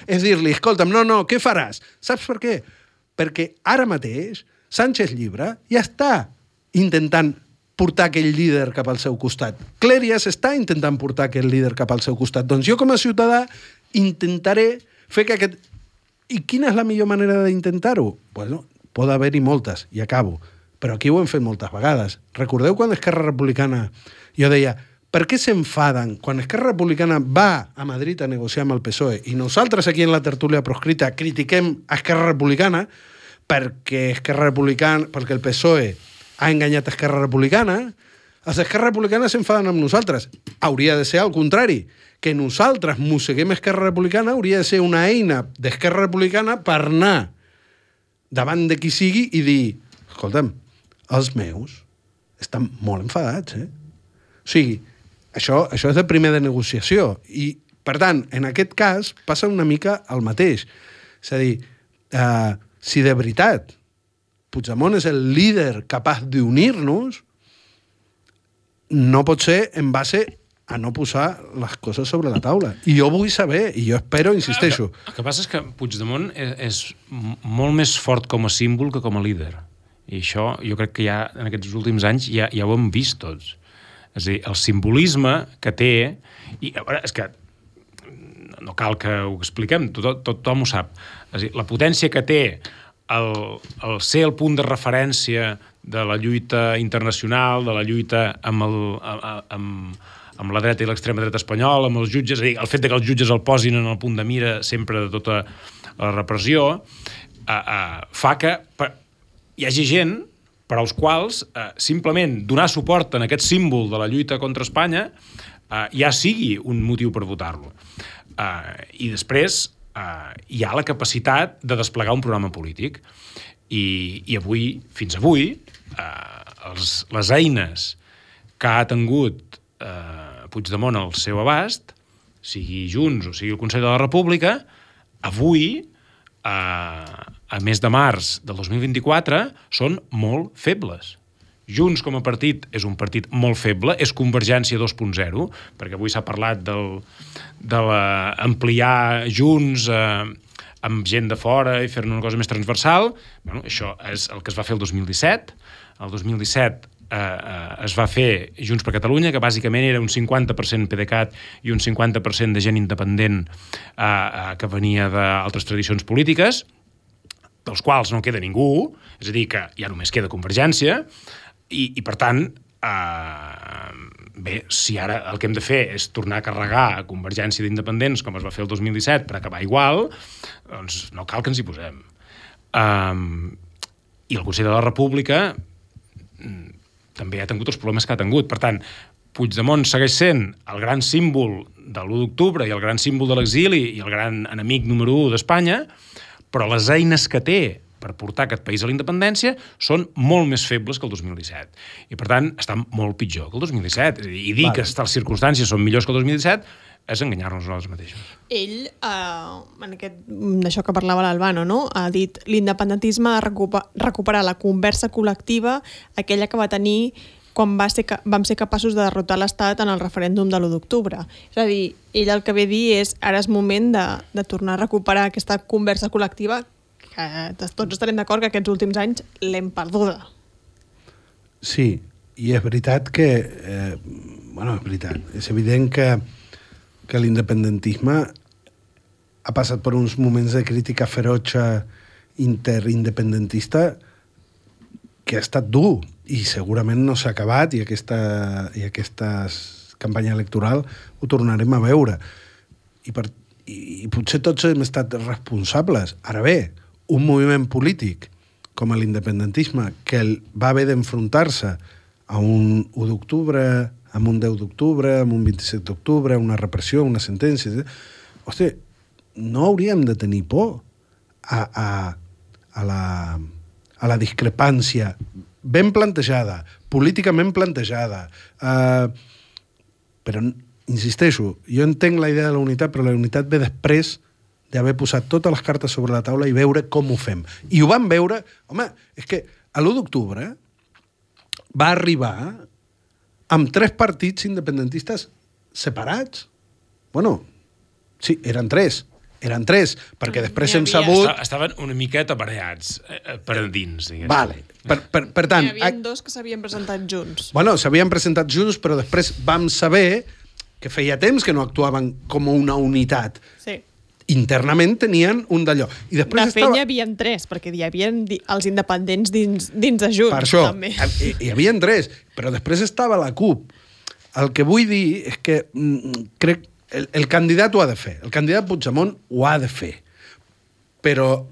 És dir-li, escolta'm, no, què faràs? Saps per què? Perquè ara mateix Sánchez Llibre ja està intentant portar aquell líder cap al seu costat. Clèries està intentant portar aquell líder cap al seu costat. Doncs jo com a ciutadà intentaré fer que aquest... I quina és la millor manera d'intentar-ho? Bueno, pot haver-hi moltes, i acabo. Però aquí ho hem fet moltes vegades. Recordeu quan Esquerra Republicana... Jo deia, per què s'enfaden quan Esquerra Republicana va a Madrid a negociar amb el PSOE i nosaltres aquí en la tertúlia proscrita critiquem a Esquerra Republicana perquè el PSOE ha enganyat a Esquerra Republicana, els Esquerra Republicana s'enfaden amb nosaltres. Hauria de ser al contrari, que nosaltres mosseguem Esquerra Republicana hauria de ser una eina d'Esquerra Republicana per anar davant de qui sigui i dir, escolta'm, els meus estan molt enfadats, O sigui, això és de primer de negociació. I, per tant, en aquest cas passa una mica el mateix. És a dir, si de veritat Puigdemont és el líder capaç d'unir-nos, no pot ser en base a no posar les coses sobre la taula. I jo vull saber, i jo espero, insisteixo. El que passa és que Puigdemont és molt més fort com a símbol que com a líder. I això jo crec que ja en aquests últims anys ja ho hem vist tots. És a dir, el simbolisme que té... I, a veure, és que no cal que ho expliquem, tothom ho sap. És a dir, la potència que té el ser el punt de referència de la lluita internacional, de la lluita amb la dreta i l'extrema dreta espanyola, amb els jutges, és a dir, el fet que els jutges el posin en el punt de mira sempre de tota la repressió, fa que hi hagi gent per als quals simplement donar suport en aquest símbol de la lluita contra Espanya ja sigui un motiu per votar-lo. I després hi ha la capacitat de desplegar un programa polític. I avui, fins avui, les eines que ha tingut Puigdemont al seu abast, sigui Junts o sigui el Consell de la República, avui, a mes de març del 2024, són molt febles. Junts com a partit és un partit molt feble, és Convergència 2.0, perquè avui s'ha parlat d'ampliar Junts amb gent de fora i fer-ne una cosa més transversal. Bueno, això és el que es va fer el 2017. El 2017 es va fer Junts per Catalunya, que bàsicament era un 50% PDeCAT i un 50% de gent independent que venia d'altres tradicions polítiques. dels quals no queda ningú, és a dir, que ja només queda Convergència, i per tant, bé, si ara el que hem de fer és tornar a carregar a Convergència d'independents, com es va fer el 2017, per acabar igual, doncs no cal que ens hi posem. I el Consell de la República també ha tingut els problemes que ha tingut. Per tant, Puigdemont segueix sent el gran símbol de l'1 d'octubre i el gran símbol de l'exili i el gran enemic número 1 d'Espanya, però les eines que té per portar aquest país a la independència són molt més febles que el 2017. I, per tant, està molt pitjor que el 2017. I dir que les circumstàncies són millors que el 2017 és enganyar-nos nosaltres mateixos. Ell, d'això que parlava l'Albano, no? Ha dit l'independentisme ha recuperat la conversa col·lectiva, aquella que va tenir quan vam ser capaços de derrotar l'Estat en el referèndum de l'1 d'octubre. És a dir, ell el que ve a dir és ara és moment de tornar a recuperar aquesta conversa col·lectiva que tots estarem d'acord que aquests últims anys l'hem perduda. Sí, i és veritat que... és veritat. És evident que l'independentisme ha passat per uns moments de crítica ferotge interindependentista que ha estat dur i segurament no s'ha acabat i aquesta campanya electoral ho tornarem a veure. I potser tots hem estat responsables. Ara bé, un moviment polític com l'independentisme que va haver d'enfrontar-se a un 1 d'octubre, amb un 10 d'octubre, amb un 27 d'octubre, una repressió, una sentència... Hosti, no hauríem de tenir por a la discrepància ben plantejada, políticament plantejada. Però, insisteixo, jo entenc la idea de la unitat, però la unitat ve després d'haver posat totes les cartes sobre la taula i veure com ho fem. I ho vam veure... Home, és que l'1 d'octubre va arribar amb 3 partits independentistes separats. Bueno, sí, eren 3, perquè després hem sabut... Estaven una miqueta barallats per dins, diguéssim. Vale. Per tant... Hi havia 2 que s'havien presentat junts. Bueno, s'havien presentat junts, però després vam saber que feia temps que no actuaven com una unitat. Sí. Internament tenien un d'allò. I després de fet, hi havia 3, perquè hi havia els independents dins de Junts. Per això, també. Hi havia 3, però després estava la CUP. El que vull dir és que crec el candidat ho ha de fer. El candidat Puigdemont ho ha de fer. Però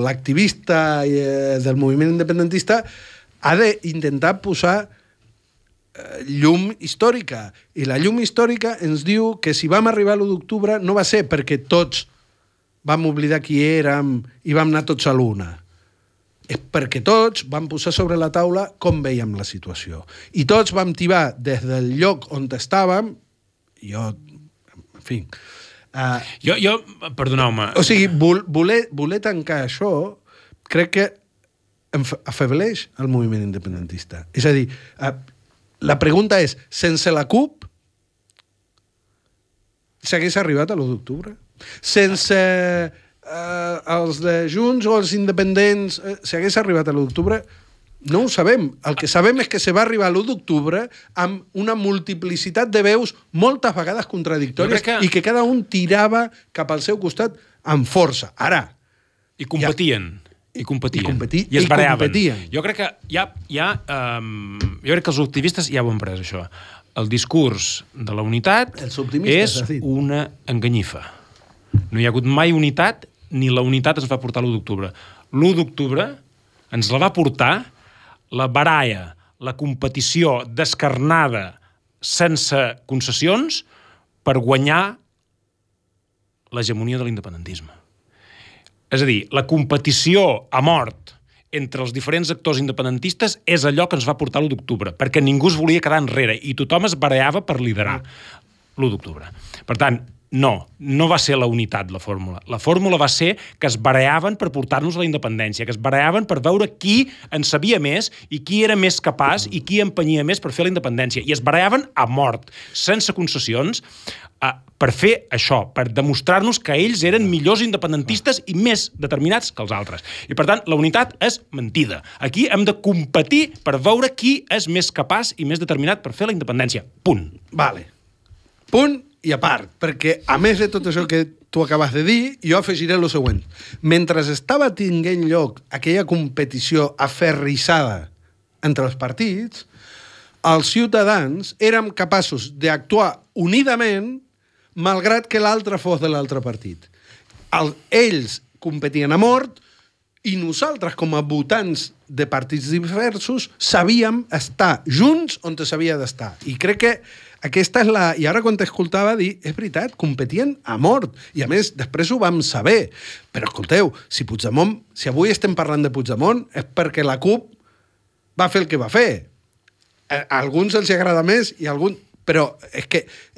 l'activista del moviment independentista ha d'intentar posar llum històrica. I la llum històrica ens diu que si vam arribar a l'1 d'octubre no va ser perquè tots vam oblidar qui érem i vam anar tots a l'una. És perquè tots vam posar sobre la taula com veiem la situació. I tots vam tibar des del lloc on estàvem, en fi... Jo perdoneu-me... O sigui, voler tancar això crec que afebleix el moviment independentista. És a dir, la pregunta és, sense la CUP s'hagués arribat a l'1 d'octubre? Sense els de Junts o els independents s'hagués arribat a l'1 d'octubre? No ho sabem. El que sabem és que se va arribar a l'1 d'octubre amb una multiplicitat de veus moltes vegades contradictòries i que cada un tirava cap al seu costat amb força. Ara... I competien. I es bareaven. Jo crec que jo crec que els optimistes ja ho han pres, això. El discurs de la unitat és una enganyifa. No hi ha hagut mai unitat, ni la unitat ens va portar l'1 d'octubre. L'1 d'octubre ens la va portar la baralla, la competició descarnada, sense concessions, per guanyar l'hegemonia de l'independentisme. És a dir, la competició a mort entre els diferents actors independentistes és allò que ens va portar l'1 d'octubre, perquè ningú es volia quedar enrere i tothom es barallava per liderar l'1 d'octubre. Per tant, no va ser la unitat la fórmula. La fórmula va ser que es bareaven per portar-nos a la independència, que es bareaven per veure qui en sabia més i qui era més capaç i qui empenyia més per fer la independència. I es bareaven a mort, sense concessions, per fer això, per demostrar-nos que ells eren millors independentistes i més determinats que els altres. I, per tant, la unitat és mentida. Aquí hem de competir per veure qui és més capaç i més determinat per fer la independència. Punt. Vale. Punt i a part, perquè a més de tot això que tu acabes de dir, i jo afegiré el següent. Mentre estava tinguent lloc aquella competició aferrissada entre els partits, els ciutadans érem capaços d'actuar unidament malgrat que l'altre fos de l'altre partit. Ells competien a mort i nosaltres, com a votants de partits diversos, sabíem estar junts on s'havia d'estar. I crec que aquesta és la... I ara quan t'escoltava dir, és veritat, competien a mort. I a més, després ho vam saber. Però escolteu, si avui estem parlant de Puigdemont és perquè la CUP va fer el que va fer. A alguns els agrada més i a alguns... Però és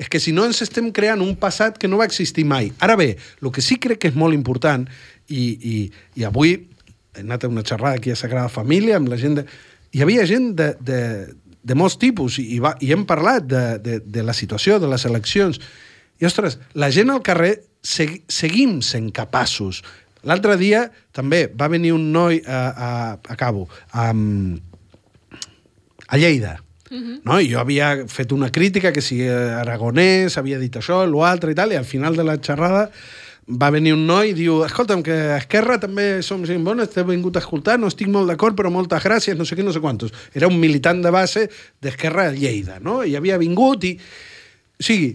que si no ens estem creant un passat que no va existir mai. Ara bé, el que sí crec que és molt important, i avui he anat a una xerrada aquí a Sagrada Família amb la gent hi havia gent de molts tipus i hem parlat de la situació, de les eleccions. I, ostres, la gent al carrer seguim sent capaços. L'altre dia també va venir un noi a Lleida. No? I jo havia fet una crítica que si Aragonès havia dit això, l'altre i tal, i al final de la xerrada va venir un noi i diu, escolta'm, que a Esquerra també som gent bona, t'he vingut a escoltar, no estic molt d'acord, però moltes gràcies, no sé què, no sé quantos. Era un militant de base d'Esquerra a Lleida, no? I havia vingut i... O sigui,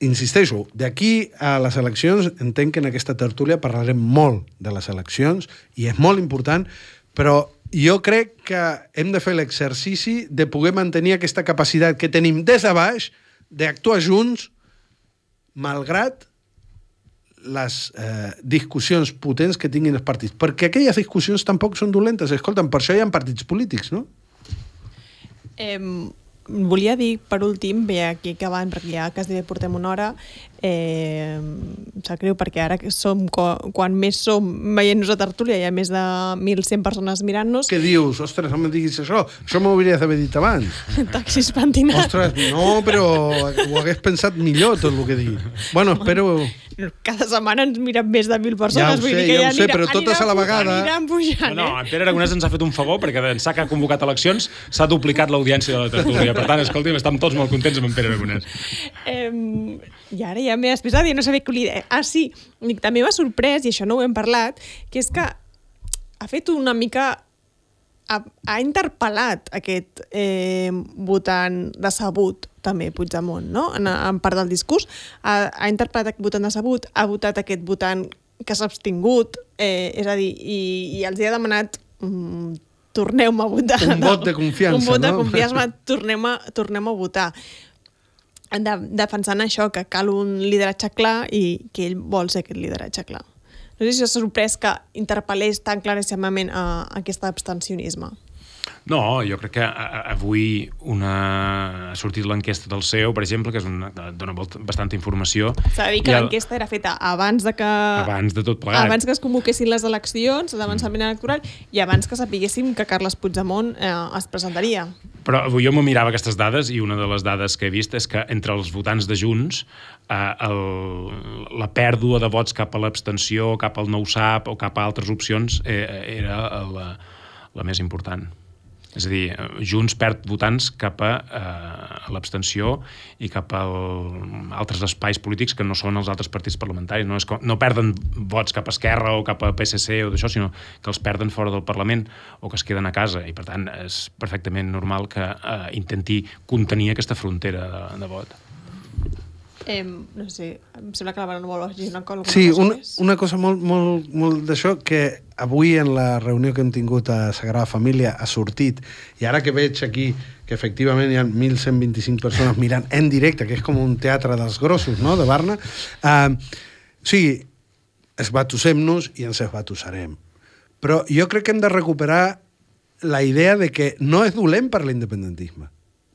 insisteixo, d'aquí a les eleccions entenc que en aquesta tertúlia parlarem molt de les eleccions i és molt important, però jo crec que hem de fer l'exercici de poder mantenir aquesta capacitat que tenim des de baix d'actuar junts malgrat les discussions potents que tinguin els partits. Perquè aquelles discussions tampoc són dolentes. Escolta'm, per això hi ha partits polítics, no? Volia dir, per últim, bé, aquí acabant, perquè ja quasi portem una hora, em sap greu perquè ara quan més som veient-nos a tertúlia hi ha més de 1.100 persones mirant-nos. Què dius? Ostres, no em diguis això. Això m'ho hauries d'haver dit abans. Taxis pentinats. Ostres, no, però ho hagués pensat millor tot el que he dit. Bueno, espero... Cada setmana ens miren més de 1.000 persones. Ja ho sé, però totes a la vegada... Aniran pujant, No, en Pere Aragonès ens ha fet un favor perquè d'ençà que ha convocat eleccions s'ha duplicat l'audiència de la tertúlia. Per tant, escolti'm, estem tots molt contents amb en Pere Aragonès. I ara ja m'he expressat i no sabia què li deia. Ah, sí, també m'ha sorprès, i això no ho hem parlat, que és que ha fet una mica... Ha interpel·lat aquest votant decebut, també, Puigdemont, no? En part del discurs. Ha interpel·lat aquest votant decebut, ha votat aquest votant que s'ha abstingut, és a dir, i els hi ha demanat torneu-me a votar. Un vot de confiança, un vot de no? confiança, tornem a votar. Defensant això, que cal un lideratge clar i que ell vol ser aquest lideratge clar. No sé si s'ha sorprès que interpel·lés tan claríssimament a aquest abstencionisme. No, jo crec que avui ha sortit l'enquesta del CEO, per exemple, que dona bastanta informació. S'ha de dir que l'enquesta era feta abans de tot plegat. Abans que es convoquessin les eleccions, l'avançament electoral, i abans que sapiguéssim que Carles Puigdemont es presentaria. Però avui jo me mirava aquestes dades i una de les dades que he vist és que entre els votants de Junts la pèrdua de vots cap a l'abstenció, cap al no ho sap o cap a altres opcions era la més important. És a dir, Junts perd votants cap a l'abstenció i cap a altres espais polítics que no són els altres partits parlamentaris. No perden vots cap a Esquerra o cap a PSC o d'això, sinó que els perden fora del Parlament o que es queden a casa. I, per tant, és perfectament normal que intenti contenir aquesta frontera de vot. No sé, em sembla que la Mara no vol afegir una cosa. Sí, una cosa molt d'això que avui en la reunió que hem tingut a Sagrada Família ha sortit, i ara que veig aquí que efectivament hi ha 1.125 persones mirant en directe, que és com un teatre dels grossos, no?, de Barna, o sigui, esbatussem-nos i ens esbatussarem. Però jo crec que hem de recuperar la idea de que no és dolent per l'independentisme.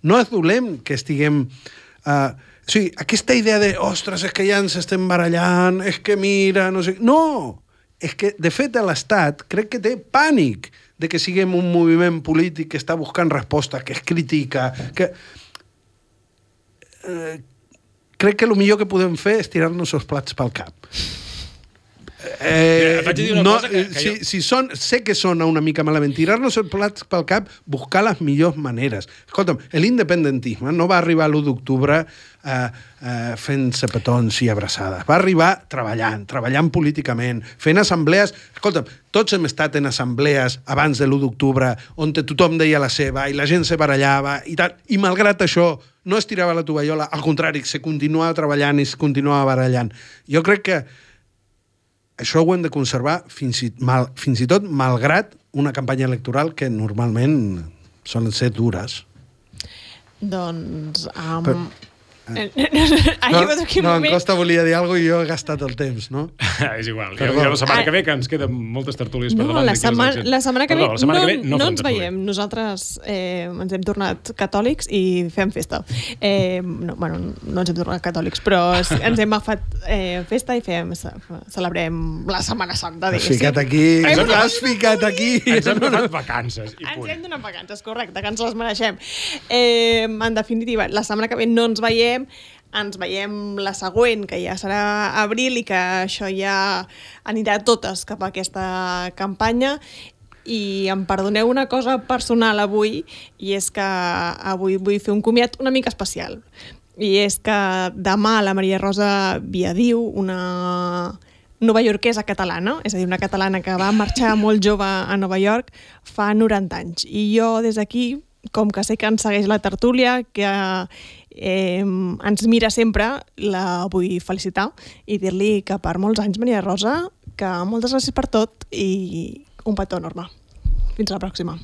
No és dolent que estiguem... O sigui, aquesta idea de, ostres, és que ja ens estem barallant, és que mira, no sé... No! És que, de fet, l'Estat crec que té pànic de que siguem un moviment polític que està buscant resposta, que es critica, que... crec que el millor que podem fer és tirar-nos els plats pel cap. Et vaig dir una cosa que sé que sona una mica malament. Tirar-nos el plat pel cap, buscar les millors maneres. Escolta'm, l'independentisme no va arribar a l'1 d'octubre fent-se petons i abraçades. Va arribar treballant políticament, fent assemblees. Escolta'm, tots hem estat en assemblees abans de l'1 d'octubre on tothom deia la seva i la gent se barallava i tal. I malgrat això no es tirava la tovallola, al contrari, se continuava treballant i es continuava barallant. Jo crec que això ho hem de conservar fins i tot malgrat una campanya electoral que normalment solen ser dures. Doncs... No, en Costa volia dir alguna cosa i jo he gastat el temps, no? És igual. Ja la setmana que ve, que ens queden moltes tertúlies per davant. La setmana que ve no ens veiem. Nosaltres ens hem tornat catòlics i fem festa. No ens hem tornat catòlics, però ens hem agafat festa i celebrem la Setmana Santa. Has ficat aquí. Ens hem donat vacances. Ens hem donat vacances, correcte, que ens les mereixem. En definitiva, la setmana que ve no ens veiem, ens veiem la següent, que ja serà abril i que això ja anirà totes cap a aquesta campanya. I em perdoneu una cosa personal avui, i és que avui vull fer un comiat una mica especial. I és que demà la Maria Rosa Viadiu, una novaiorquesa catalana, és a dir, una catalana que va marxar molt jove a Nova York, fa 90 anys. I jo des d'aquí, com que sé que ens segueix la tertúlia, que ens mira sempre, la vull felicitar i dir-li que per molts anys, Maria Rosa, que moltes gràcies per tot i un petó enorme. Fins a la pròxima.